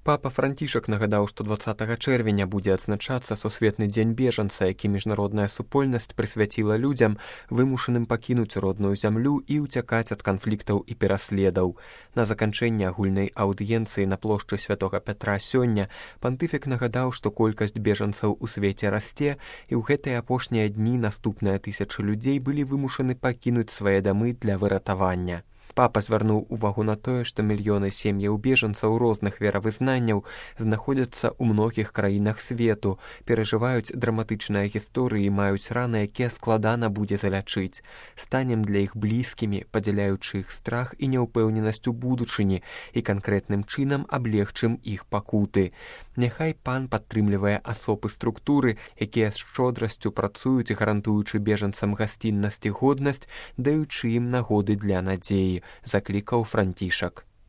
Папа Францішак нагадаў, што 20 чэрвеня будзе адзначацца сусветны дзень бежанца, які міжнародная супольнасць прысвяціла людзям, вымушаным пакінуць родную зямлю і ўцякаць ад канфліктаў і пераследаў. На заканчэнне агульнай аўдыенцыі на плошчы Святога Пятра сёння пантыфік нагадаў, што колькасць бежанцаў у свеце расце, і ў гэтыя апошнія дні наступныя тысячы людзей былі вымушаны пакінуць свае дамы для выратавання. Папа звярнуў увагу на тое, што мільёны сем'яў бежанцаў розных веравызнанняў знаходзяцца ў многіх краінах свету, перажываюць драматычныя гісторыі і маюць раны, якія складана будзе залячыць. Станем для іх блізкімі, падзяляючы іх страх і няўпэўненасць у будучыні і канкрэтным чынам аблегчым іх пакуты. Няхай пан падтрымлівае асобы структуры, якія з шчодрасцю працуюць, гарантуючы бежанцам гасціннасць і годнасць, даючы ім нагоды для надзеі, заклікаў Францішак.